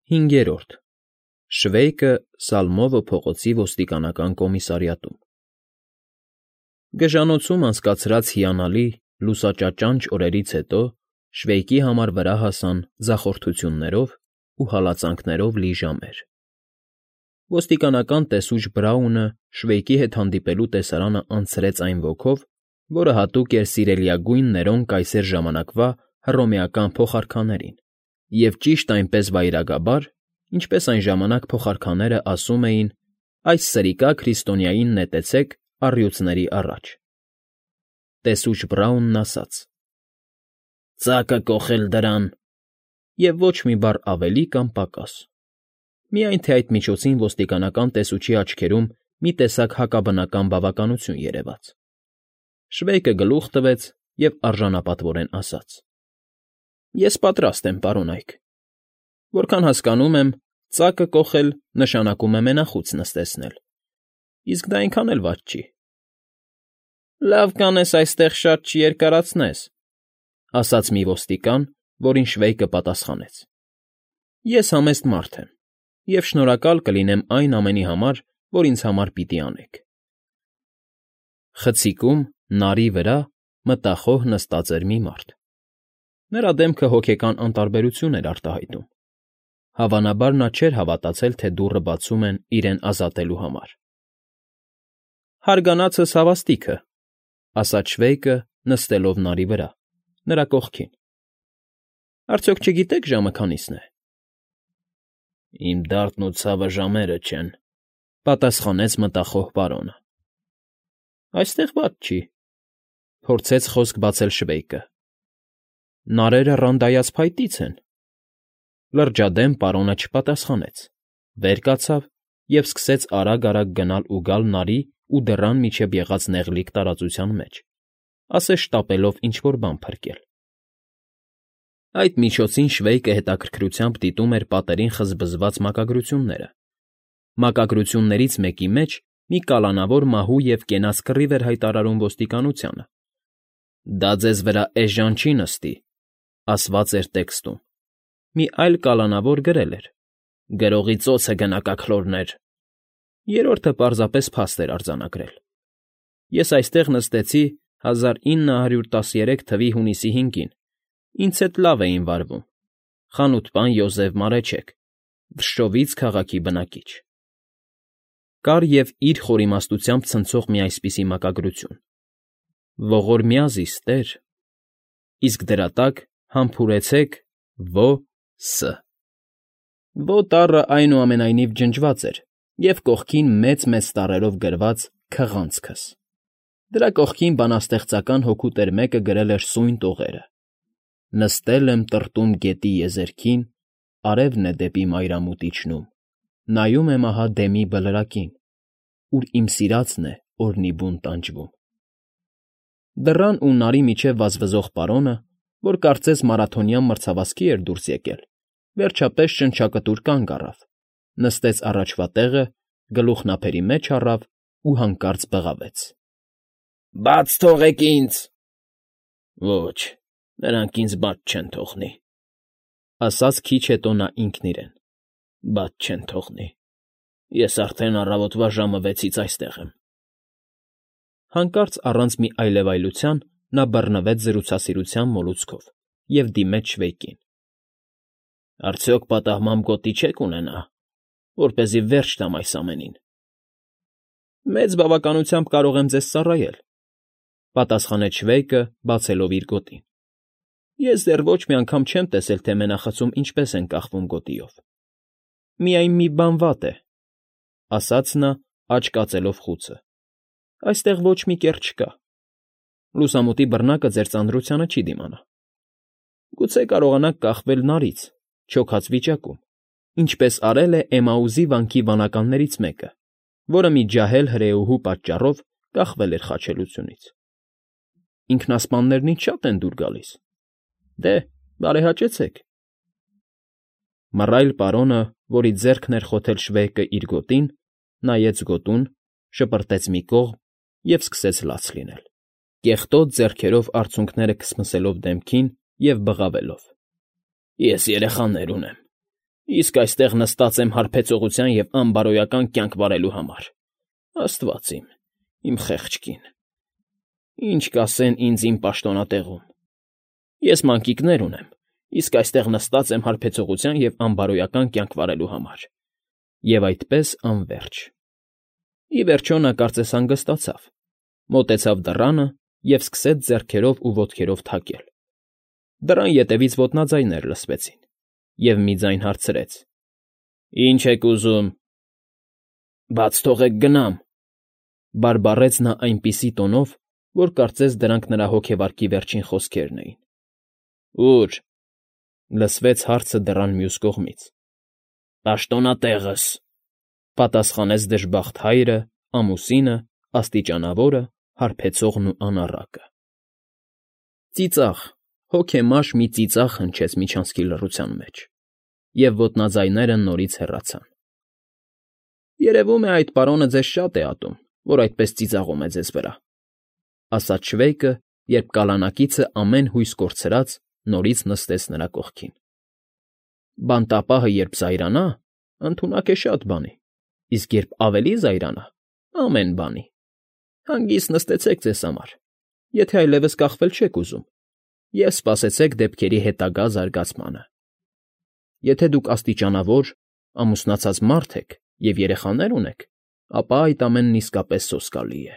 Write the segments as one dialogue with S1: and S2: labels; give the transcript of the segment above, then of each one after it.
S1: 5. Շվեյկը Սալմովը փողոցի ոստիկանական կոմիսարիատում։ Գժանոցում անցկացրած հիանալի, լուսաճաճանճ օրերից հետո Շվեյկի համար վրա հասան ձախորդություններով ու հալածանքներով լի ժամեր։ Ոստիկանական տեսուչ Բրաունը Շվեյկի հետ հանդիպելու տեսարանը անցրեց այն ոգով, որը հատուկ էր սիրելիագույն Ներոն կայսեր ժամանակվա հռոմեական փոխարքաներին, և ճիշտ այնպես վայրագաբար, ինչպես այն ժամանակ փոխարքաները ասում էին. «Այս սրիկա քրիստոնյային նետեցեք առյուծների առաջ»։ Տեսուչ Բրաունն ասաց. «Ծակը կոխել դրան», և ոչ մի բառ ավելի կամ պակաս։ Միայն թե այդ միջոցին ոստիկանական տեսուչի աչքերում մի տեսակ հակաբնական բավականություն երևաց։ Շվեյկը գլուխ տվեց և արժանապատվորեն ասաց. «Ես պատրաստ եմ, պարոն Այք։ Որքան հասկանում եմ, ծակը կոխել նշանակում է մենախոց նստեցնել, իսկ դա այնքան էլ վատ չի»։ «Լավ կանես այստեղ շատ չերկարացնես», ասաց մի ոստիկան, որին Շվեյկը պատասխանեց. «Ես համեստ մարդ եմ և շնորհակալ կլինեմ այն ամենի համար, որ ինձ համար պիտի անեք»։ Խցիկում, նարի վրա մտախոհ նստած էր մի մարդ։ Նրա դեմքը հոգեկան անտարբերություն էր արտահայտում։ Հավանաբար նա չէր հավատացել, թե դուռը բացում են իրեն ազատելու համար։ «Հարգանացս հավաստիքը», ասաց Շվեյկը, նստելով նարի վրա, նրա կողքին։ «Արդյոք չգիտեք ժամը քանիսն է»։ «Իմ դարդն ու ցավը ժամերը չեն», պատասխանեց մտախոհ պարոնը։ «Այստեղ վատ չի», փորձեց խոսք բացել Շվեյկը։ «Նարերը ռանդայած փայտից են»։ Լրջադեմ պարոնը չպատասխանեց, վեր կացավ և սկսեց արագ֊արագ գնալ ու գալ նարի ու դռան միջև եղած նեղլիկ տարածության մեջ, ասես շտապելով ինչ֊որ բան փրկել։ Այդ միջոցին Շվեյկը հետաքրքրությամբ դիտում էր պատերին խզբզված մակագրությունները։ Մակագրություններից մեկի մեջ մի կալանավոր մահու և կենաց կռիվ էր հայտարարում ոստիկանությանը։ «Դա ձեզ վրա էժան չի նստի», ասված էր տեքստում։ Մի այլ կալանավոր գրել էր. «Գրողի ծոցը գնա՜կաքլորներ»։ Երրորդը պարզապես փաստ էր արձանագրել։ «Ես այստեղ նստեցի 1913 թվականի հունիսի 5-ին, ինձ հետ լավ էին վարվում. խանութպան Յոզեֆ Մարեչեկ, Վշշովից քաղաքի բնակիչ»։ Կար և իր խորիմաստությամբ ցնցող մի այսպիսի մակագրություն. «Ողորմյա զիստ֊եր», իսկ դրա տակ համբուրեցեք Ո.Ս. Ո տառը այնուամենայնիվ ջնջված էր և կողքին մեծ֊մեծ տառերով գրված «Քղանցքս»։ Դրա կողքին բանաստեղծական հոգու տեր մեկը գրել էր սույն տողերը. «Նստել եմ տրտում գետի եզերքին, արևն է դեպի մայրամուտ իջնում, նայում եմ ահա դեմի բլրակին, ուր իմ սիրածն է օրնի բուն տանջվում»։ Դռան ու նարի միջև վազվզող պարոնը, որ կարծես մարաթոնյան մրցավազքի էր դուրս եկել, վերջապես շնչակտուր կանգ առավ, նստեց առաջվա տեղը, գլուխն ափերի մեջ առավ ու հանկարծ բղավեց. «Բաց թողեք ինձ»։ «Ոչ, նրանք ինձ բաց չեն թողնի», ասաց քիչ հետո նա ինքն իրեն, «բաց չեն թողնի։ Ես արդեն առավոտվա ժամը 6-ից այստեղ եմ»։ Հանկարծ առանց մի այլևայլության նա բռնվեց զրուցասիրության մոլուցքով և դիմեց Շվեյկին. «Արդյոք պատահմամբ գոտի չեք ունենա, որպեսզի վերջ տամ այս ամենին»։ «Մեծ բավականությամբ կարող եմ ձեզ ծառայել», պատասխանեց Շվեյկը, բացելով իր գոտին։ «Ես դեռ ոչ մի անգամ չեմ տեսել, թե մենախցում ինչպես են կախվում գոտիով։ Միայն մի բան վատ է», ասաց նա, աջ կածելով խուցը. «այստեղ ոչ մի կեռ չկա։ Լուսամուտի բռնակը ձեր ծանրությանը չի դիմանա։ Գուցե կարողանաք կախվել նարից, չոքած վիճակում, ինչպես արել է Էմաուզի վանքի վանականներից մեկը, որը մի ջահել հրեուհու պատճառով կախվել էր խաչելությունից։ Ինքնասպաններն ինչ շատ են դուր գալիս։ Դե, բարեհաճեցեք»։ Մռայլ պարոնը, որի ձեռքն էր խոթել Շվեյկը իր գոտին, նայեց գոտուն, շպրտեց մի կողմ և սկսեց լաց լինել, կեղտոտ ձեռքերով արցունքները քսմսելով դեմքին և բղավելով. «Ես երեխաներ ունեմ, Իսկ այստեղ նստած եմ հարբեցողության և անբարոյական կյանք վարելու համար։ Աստված իմ խեղճ կին, ինչ կասեն ինձ իմ պաշտոնատեղում։ Ես մանկիկներ ունեմ, իսկ այստեղ նստած եմ հարբեցողության և անբարոյական կյանք վարելու համար։ Եվ այդպես անվերջ։ Ի վերջո նա կարծես հանգստացավ, մոտեցավ դռանը և սկսեց ձեռքերով ու ոտքերով թակել։ Դռան ետևից ոտնաձայներ լսվեցին, և մի ձայն հարցրեց. «Ի՞նչ եք ուզում»։ «Բաց թողեք գնամ», բարբառեց նա այնպիսի տոնով, որ կարծես դրանք նրա հոգևարկի վերջին խոսքերն էին։ «Ո՞ւր»։ լսվեց հարցը դռան մյուս կողմից։ «Պաշտոնատեղս», պատասխանեց դժբախտ հայրը, ամուսինը, աստիճանավորը, հարբեցողն ու անառակը։ Ծիծաղ, հոգեմաշ մի ծիծաղ հնչեց միջանցքի լռության մեջ, և ոտնաձայները նորից հեռացան։ «Երևում է, այդ պարոնը ձեզ շատ է ատում, որ այդպես ծիծաղում է ձեզ վրա», ասաց Շվեյկը, երբ կալանակիցը ամեն հույս կորցրած նորից նստեց նրա կողքին։ «Բանտապահը երբ զայրանա, ընդունակ է շատ բանի, իսկ երբ ավելի զայրանա, ամեն բանի։ Հանգիստ նստեցեք ձեզ համար, եթե այլևս կախվել չեք ուզում, և սպասեցեք դեպքերի հետագա զարգացմանը։ Եթե դուք աստիճանավոր, ամուսնացած մարդ եք և երեխաներ ունեք, ապա այդ ամենն իսկապես սոսկալի է։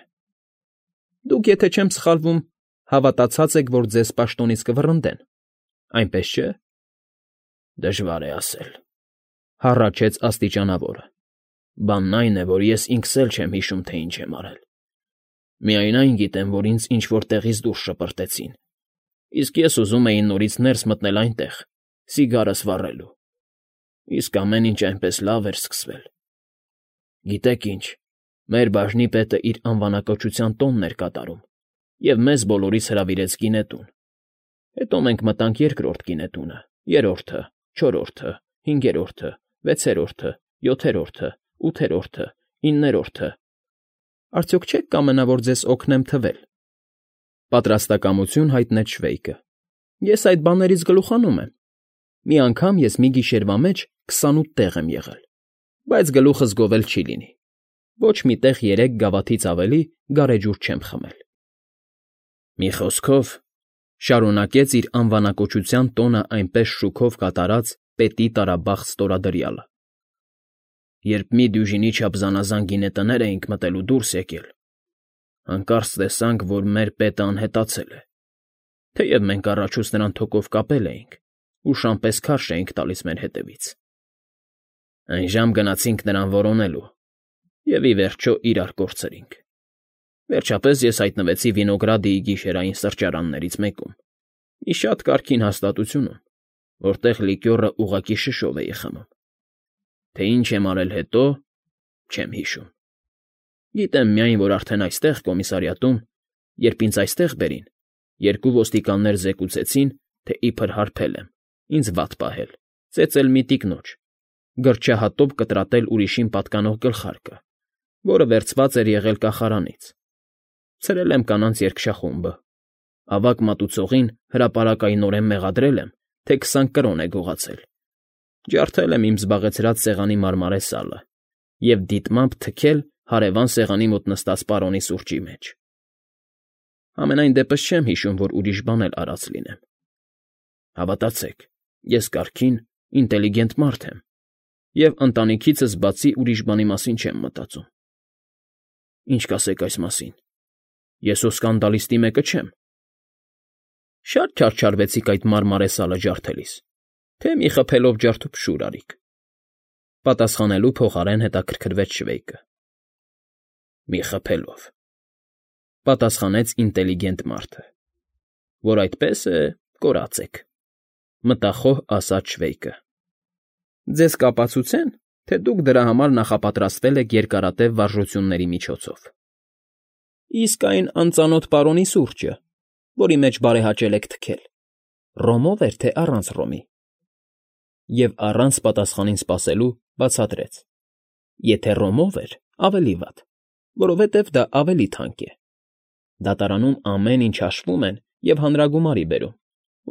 S1: Դուք, եթե չեմ սխալվում, հավատացած եք, որ ձեզ պաշտոնից կվռնդեն, այնպես չէ՞։ Դժվար է ասել, հառաչեց աստիճանավորը։ Բանն այն է, որ ես ինքս էլ չեմ հիշում, թե ինչ եմ արել։ Միայն այն գիտեմ, որ ինձ ինչ֊որ տեղից դուրս շպրտեցին, իսկ ես ուզում էի նորից ներս մտնել այնտեղ, սիգարս վառելու։ Իսկ ամեն ինչ այնպես լավ էր սկսվել։ Գիտեք ինչ, մեր բաժնի պետը իր անվանակոչության տոնն էր կատարում և մեզ բոլորիս հրավիրեց գինետուն։ Հետո մենք մտանք երկրորդ գինետունը, երրորդը, չորրորդը, հինգերորդը, վեցերորդը, յոթերորդը, ութերորդը, իններորդը։ Արդյոք չեք կամենա, որ ձեզ օգնեմ թվել։ Պատրաստակամություն հայտնեց Շվեյկը։ Ես այդ բաներից գլուխանում եմ։ Մի անգամ ես մի գիշերվա մեջ 28 տեղ եմ եղել, բայց գլուխս գովել չի լինի։ Ոչ մի տեղ 3 գավաթից ավելի գարեջուր չեմ խմել։ Մի խոսքով, շարունակեց իր անվանակոչության տոնը այնպես շուքով կատարած պետի տարաբախտ ստորադրյալը։ Երբ մի դյուժինի չափ զանազան գինետներ էինք մտել ու դուրս եկել, հանկարծ տեսանք, որ մեր պետը անհետացել է, թեև մենք առաջուց նրան թոկով կապել էինք ու շան պես քարշ էինք տալիս մեր հետևից։ Այն ժամ գնացինք նրան որոնելու և, ի վերջո, իրար կորցրինք։ Վերջապես ես հայտնվեցի Վինոգրադիի գիշերային սրճարաններից մեկում, մի շատ կարգին հաստատությունում, որտեղ լիկյորը ուղղակի շշով էի խմում։ Թե ինչ եմ արել հետո, չեմ հիշում։ Գիտեմ միայն, որ արդեն այստեղ, կոմիսարիատում, երբ ինձ այստեղ բերին, 2 ոստիկաններ զեկուցեցին, թե իբր հարբել եմ, ինձ վատ պահել, ծեծել մի տիկնոջ, գրչահատոպ կտրատել ուրիշին պատկանող գլխարկը, որը վերցված էր եղել կախարանից, ցրել եմ կանանց երգշախումբը, ավագ մատուցողին հրապարակայնորեն մեղադրել եմ, թե 20 կրոն է գողացել, ջարդել եմ իմ զբաղեցրած սեղանի մարմարե սալը և դիտմամբ թքել հարևան սեղանի մոտ նստած պարոնի սուրճի մեջ։ Համենայն դեպս չեմ հիշում, որ ուրիշ բան էլ արած լինեմ։ Հավատացեք, ես կարգին, ինտելիգենտ մարդ եմ և ընտանիքիցս բացի ուրիշ բանի մասին չեմ մտածում։ Ինչ կասեք այս մասին։ Ես հո սկանդալիստի մեկը չեմ։ Շատ չարչարվեցիք այդ մարմարե սալը ջարդելիս, թե մի խփելով ջարդուփշուր արիք։ Պատասխանելու փոխարեն հետաքրքրվեց Շվեյկը։ Մի խփելով, պատասխանեց ինտելիգենտ մարդը, որ այդպես է, կորած եք, մտախոհ ասաց Շվեյկը։ Ձեզ կապացուցեն, թե դուք դրա համար նախապատրաստվել եք երկարատև վարժությունների միջոցով։ Իսկ այն անծանոթ պարոնի սուրճը, որի մեջ բարեհաճել եք թքել, ռոմով էր, թե առանց ռոմի։ Եվ առանց պատասխանին սպասելու բացատրեց. Եթե ռոմով էր, ավելի վատ, որովհետև դա ավելի թանկ է։ Դատարանում ամեն ինչ հաշվում են և հանրագումարի բերում,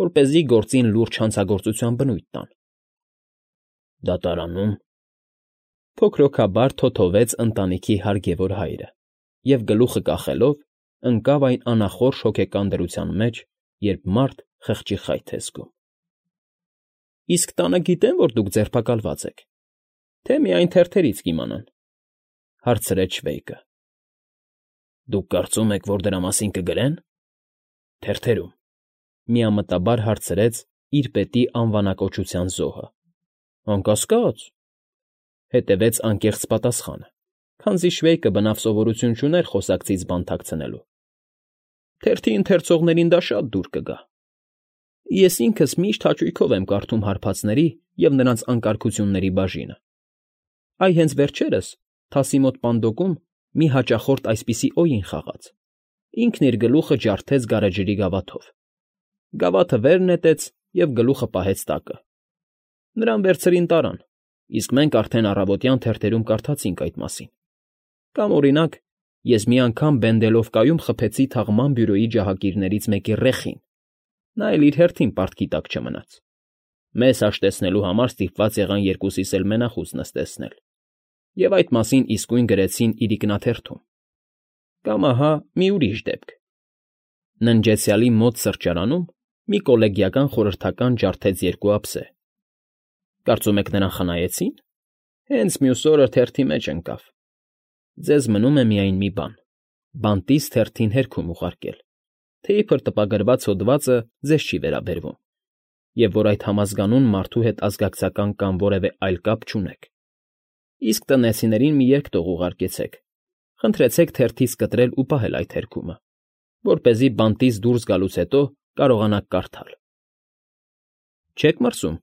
S1: որպեսզի գործին լուրջ հանցագործության բնույթ տան։
S2: Դատարանում։
S1: Փոքրոքաբար թոթովեց ընտանիքի հարգևոր հայրը և, գլուխը կախելով, ընկավ այն անախորժ հոգեկան դրության մեջ, երբ մարդ խղճի խայթ է զգում։ ֊ Իսկ տանը գիտե՞ն, որ դուք ձերբակալված եք, թե միայն թերթերից կիմանան,֊ հարցրեց Շվեյկը։
S2: ֊ Դուք կարծում եք, որ դրա մասին կգրե՞ն… Թերթերում,֊
S1: միամտաբար հարցրեց իր պետի անվանակոչության զոհը։ ֊ Անկասկած,֊ հետևեց անկեղծ պատասխանը, քանզի Շվեյկը բնավ սովորություն չուներ խոսակցից բան թաքցնելու։ ֊ Թերթի ընթերցողներին դա շատ դուր կգա։ Ես ինքս միշտ հաճույքով եմ կարդում հարբածների և նրանց անկարգությունների բաժինը։ Այ հենց վերջերս թասի մոտ պանդոկում մի հաճախորդ այսպիսի օյին խաղաց. ինքն իր գլուխը ջարդեց գարեջրի գավաթով, գավաթը վեր նետեց և գլուխը պահեց տակը։ Նրան վերցրին տարան, իսկ մենք արդեն առավոտյան թերթերում կարդացինք այդ մասին։ Կամ, օրինակ, ես մի անգամ Բենդելովկայում խփեցի թաղման բյուրոյի ջահակիրներից մեկի ռեխին, նա էլ իր հերթին պարտքի տակ չմնաց։ Մեզ հաշտեցնելու համար ստիպված եղան երկուսիս էլ մենախուս նստեցնել, և այդ մասին իսկույն գրեցին իրիկնաթերթում։ Կամ ահա մի ուրիշ դեպք. ննջեցյալի մոտ սրճարանում մի կոլեգիական խորհրդական ջարդեց երկու ափսե։ Կարծում եք նրան խնայեցի՞ն։ Հենց մյուս օրը թերթի մեջ ընկավ։ Ձեզ մնում է միայն մի բան՝ բանտից թերթին հերքում ուղարկել, թե իբր տպագրված հոդվածը ձեզ չի վերաբերվում, և որ այդ համազգանուն մարդու հետ ազգակցական կամ որևէ այլ կապ չունեք։ Իսկ տնեցիներին մի երկտող ուղարկեցեք, խնդրեցեք թերթից կտրել ու պահել այդ հերքումը, որպեսզի բանտից դուրս գալուց հետո կարողանաք կարդալ։ ֊ Չե՞ք մրսում,֊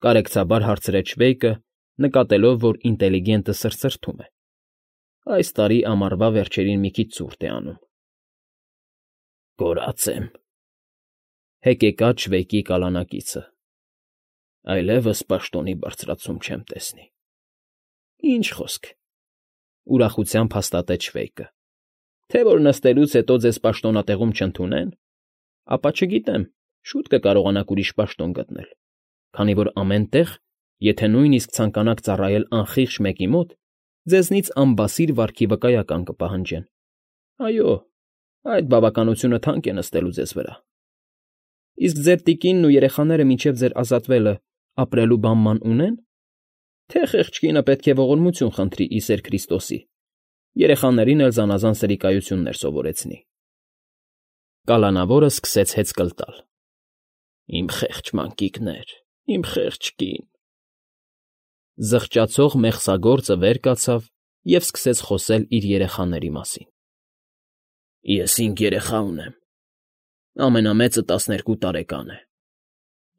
S1: կարեկցաբար հարցրեց Շվեյկը, նկատելով, որ ինտելիգենտը սրսրթում է։ Այս տարի ամառվա վերջերին մի քիչ ցուրտ է անում։ ֊ Կորած եմ,֊ հեկեկաց Շվեյկի կալանակիցը։ Այլևս պաշտոնի բարձրացում չեմ տեսնի։ ֊ Ինչ խոսք,֊ ուրախությամբ հաստատեց Շվեյկը։ Թե որ նստելուց հետո ձեզ պաշտոնատեղում չընդունեն, ապա չգիտեմ, շուտ կկարողանաք ուրիշ պաշտոն գտնել, քանի որ ամեն տեղ, եթե նույնիսկ ցանկանաք ծառայել անխիղճ մեկի մոտ, ձեզնից անբասիր վարքի վկայական կպահանջեն։ Այո, այդ բավականությունը թանկ է նստելու ձեզ վրա։ Իսկ ձեր տիկինն ու երեխաները մինչև ձեր ազատվելը ապրելու բան ունեն, թե խեղճ կինը պետք է ողորմություն խնդրի ի սեր Քրիստոսի, երեխաներին էլ զանազան սրիկայություններ սովորեցնի։ Կալանավորը սկսեց հեծկլ տալ։ Իմ խեղճ մանկիկներ, իմ խեղճ կին… Զղջացող մեղսագործը վեր կացավ և սկսեց խոսել իր երեխաների մասին։ Ես 5 երեխա ունեմ։ Ամենամեծը 12 տարեկան է։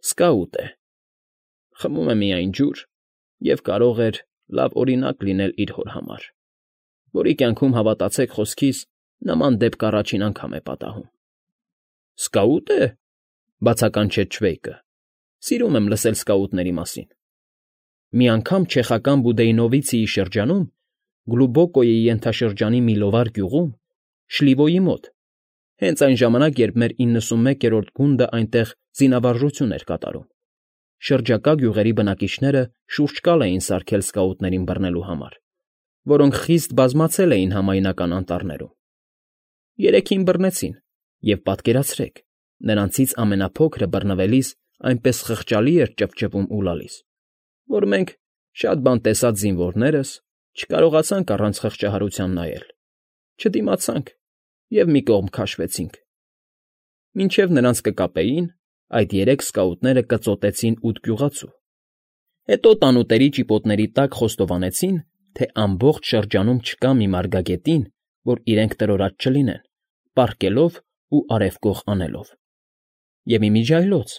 S1: Սկաուտ է։ Խմում է միայն ջուր և կարող էր լավ օրինակ լինել իր հոր համար, որի կյանքում, հավատացեք խոսքիս, նման դեպք առաջին անգամ է պատահում։ ֊ Սկաուտ է,֊ բացականչեց Շվեյկը։ Սիրում եմ լսել սկաուտների մասին։ Մի անգամ չեխական Բուդեյնովիցիի շրջանում, Գլուբոկոյի ենթաշրջանի մի լովար գյուղում, Շլիվոյի մոտ, հենց այն ժամանակ, երբ մեր 91-րդ գունդը այնտեղ զինավարժություն էր կատարում, շրջակա գյուղերի բնակիչները շուրջ կալ էին սարքել սկաուտներին բռնելու համար, որոնք խիստ բազմացել էին համայնական անտառներում։ 3-ին բռնեցին, և պատկերացրեք, նրանցից ամենափոքրը բռնվելիս այնպես խղճալի էր ճվճվում ու լալիս, որ մենք, շատ բան տեսած զինվորներս, չկարողացանք առանց խղճահարության նայել, չդիմացանք և մի կողմ քաշվեցինք։ Մինչև նրանց կկապեին, այդ 3 սկաուտները կծոտեցին 8 գյուղացու։ Հետո տանուտերի ճիպոտների տակ խոստովանեցին, թե ամբողջ շրջանում չկա մի մարգագետին, որ իրենք տրորած չլինեն, պառկելով ու արևկող անելով։ Եվ ի միջի այլոց,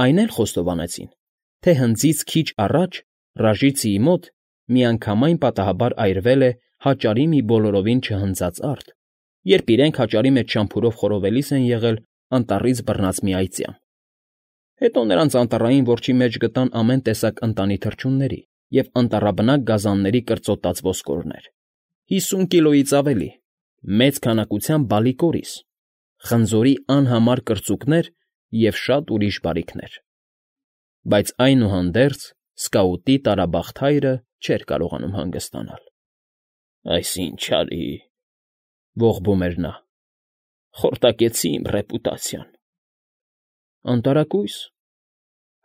S1: այն էլ խոստովանեցին, թե հնձից քիչ առաջ Ռաժիցիի մոտ միանգամայն պատահաբար այրվել է հաճարի մի բոլորովին չհնձած արդ, երբ իրենք հաճարի մեջ շամփուրով խորովելիս են եղել անտառից բռնած մի այծյամ։ Հետո նրանց անտառային որջի մեջ գտան ամեն տեսակ ընտանի թռչունների և անտառաբնակ գազանների կրծոտած ոսկորներ, 50 կիլոից ավելի, մեծ քանակությամբ բալիկորիս, խնձորի անհամար կրծուկներ և շատ ուրիշ բարիքներ։ Բայց այնուհանդերձ Սկաուտի տարաբախտ հայրը չէր կարողանում հանգստանալ։
S2: Այս ինչ արի,
S1: Ողբում էր նա։
S2: խորտակեցի իմ ռեպուտացիան։
S1: Անտարակույս,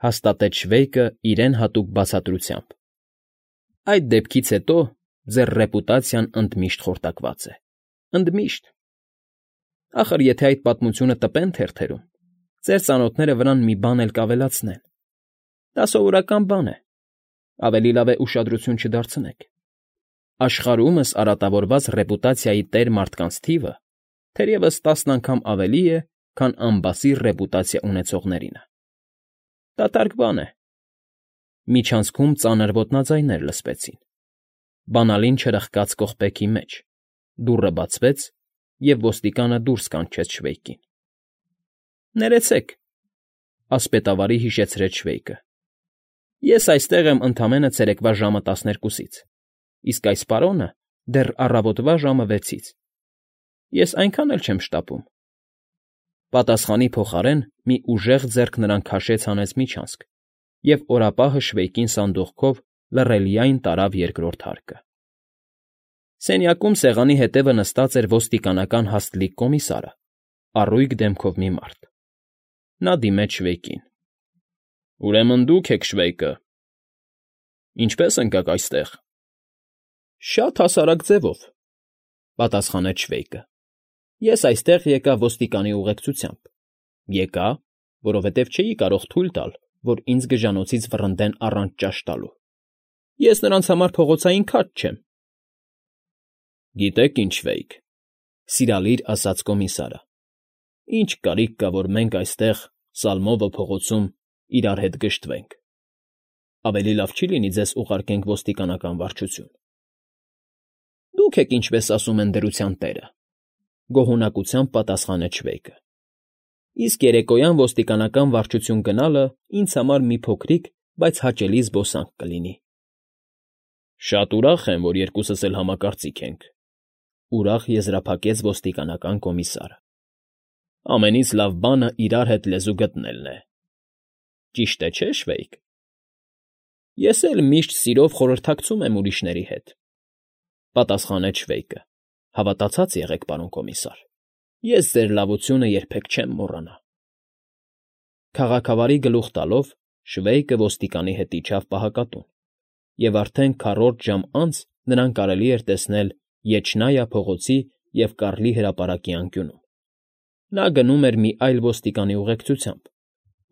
S1: հաստատեց Շվեյկը իրեն հատուկ բացատրությամբ։ Այդ դեպքից հետո ձեր ռեպուտացիան ընդմիշտ խորտակված է։ Ընդմիշտ։ Ախր եթե այդ պատմությունը տպեն թերթերում, ձեր ծանոթները վրան մի բան էլ կավելացնեն։ Դա սովորական բան է։ Ավելի լավ է ուշադրություն չդարձնեք։ Աշխարհումս արատավորված ռեպուտացիայի տեր մարդկանց թիվը թերևս 10 անգամ ավելի է, քան անբասիր ռեպուտացիա ունեցողներինը։ Դատարկ բան է։ Միջանցքում ծանր ոտնաձայներ լսվեցին։ Բանալին չրխկաց կողպեքի մեջ, դուռը բացվեց, և ոստիկանը դուրս կանչեց Շվեյկին։ Ներեցեք, ասպետավարի հիշեցրեց Շվեյկը։ Ես այստեղ եմ ընդամենը ցերեկվա ժամը 12-ից, իսկ այս պարոնը դեռ առավոտվա ժամը 6-ից։ Ես այնքան էլ չեմ շտապում։ Պատասխանի փոխարեն մի ուժեղ ձեռք նրան քաշեց հանեց միջանցք, և օրապահը Շվեյկին սանդուղքով լռելիայն տարավ երկրորդ հարկը։ Սենյակում սեղանի հետևը նստած էր ոստիկանական հաստլիկ կոմիսարը, առույգ դեմքով մի մարդ։ Նա դիմեց Շվեյկին։
S2: Ուրեմն դուք եք Շվեյկը։ Ինչպե՞ս ընկաք այստեղ։
S1: Շատ հասարակ ձևով, պատասխանեց Շվեյկը։ Ես այստեղ եկա ոստիկանի ուղեկցությամբ։ Եկա, որովհետև չէի կարող թույլ տալ, որ ինձ գժանոցից վռնդեն առանց ճաշ տալու։ Ես նրանց համար փողոցային քաջ չեմ։
S2: Գիտեք ինչ, Շվեյկ,
S1: սիրալիր ասաց կոմիսարը։
S2: Ինչ կարիք կա, որ մենք այստեղ Սալմովը փողոցում իրար հետ գժտվենք։ Ավելի լավ չի լինի ձեզ ուղարկենք ոստիկանական վարչություն։
S1: Դուք եք ինչպես ասում են դրության տերը, գոհունակությամբ պատասխանեց Շվեյկը։ Իսկ երեկոյան ոստիկանական վարչություն գնալը ինձ համար մի փոքրիկ, բայց հաճելի զբոսանք կլինի։
S2: Շատ ուրախ եմ, որ երկուսս էլ համակարծիք ենք,
S1: ուրախ եզրափակեց ոստիկանական կոմիսարը։
S2: Ամենից լավ բանը իրար հետ լեզու գտնելն է։
S1: Ճիշտ է, չէ՞, Շվեյկ։ Ես էլ միշտ սիրով խորհրդակցում եմ ուրիշների հետ, պատասխանեց Շվեյկը։ Հավատացած եղեք, պարոն կոմիսար, ես ձեր լավությունը երբեք չեմ մոռանա։ Քաղաքավարի գլուխ տալով Շվեյկը ոստիկանի հետ իջավ պահակատուն, և արդեն քառորդ ժամ անց նրան կարելի էր տեսնել Եչնայա փողոցի և Կառլի հրապարակի անկյունում։ Նա գնում էր մի այլ ոստիկանի ուղեկցությամբ,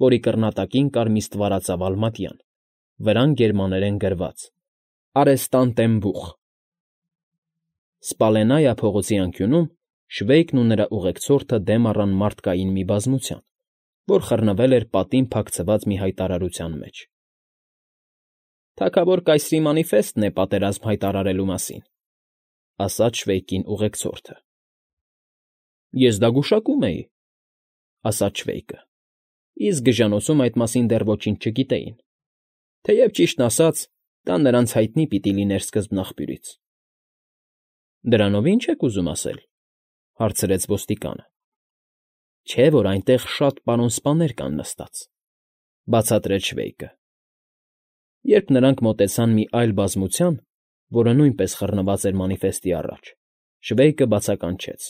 S1: որի կռնատակին կար մի ստվարածավալ մատյան, վրան գերմաներեն գրված. Արեստանտեմբուխ։ Սպալենայա փողոցի անկյունում Շվեյկն ու նրա ուղեկցորդը դեմ առան մարդկային մի բազմության, որ խռնվել էր պատին փակցված մի հայտարարության մեջ։ «Թագավոր կայսրի մանիֆեստն է պատերազմ հայտարարելու մասին», ասաց Շվեյկին ուղեկցորդը։ Ես դա գուշակում էի, ասաց Շվեյկը, իսկ գժանոցում այդ մասին դեռ ոչինչ չգիտեին, թեև ճիշտն ասած, դա նրանց հայտնի պիտի լիներ սկզբնաղբյուրից։ Դրանով ի՞նչ եք ուզում ասել, հարցրեց ոստիկանը։ Չէ՞ որ այնտեղ շատ պարոն սպաներ կան նստած, բացատրեց Շվեյկը։ Երբ նրանք մոտեցան մի այլ բազմության, որը նույնպես խռնված էր մանիֆեստի առաջ, Շվեյկը բացականչեց.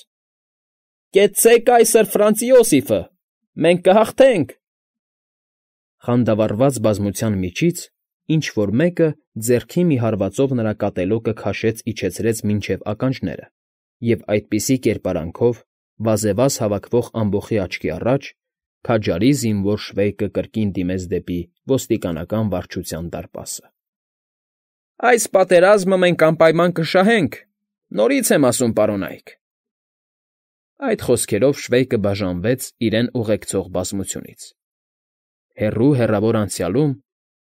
S1: «Կեցցե կայսր Ֆրանց Իոսիֆը, մենք կհաղթենք»։ Խանդավառված բազմության միջից ինչ֊որ մեկը ձեռքի մի հարվածով նրա կատելոկը քաշեց իջեցրեց մինչև ականջները, և այդպիսի կերպարանքով, վազևազ հավաքվող ամբոխի աչքի առաջ, քաջարի զինվոր Շվեյկը կրկին դիմեց դեպի ոստիկանական վարչության դարպասը։ «Այս պատերազմը մենք անպայման կշահենք, նորից եմ ասում, պարոնայք»։ Այդ խոսքերով Շվեյկը բաժանվեց իրեն ուղեկցող բազմությունից։ Հեռու֊հեռավոր անցյալում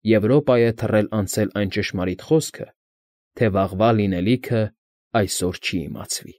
S1: Եվրոպա է թռել անցել այն ճշմարիտ խոսքը, թե վաղվա լինելիքը այսօր չի իմացվի։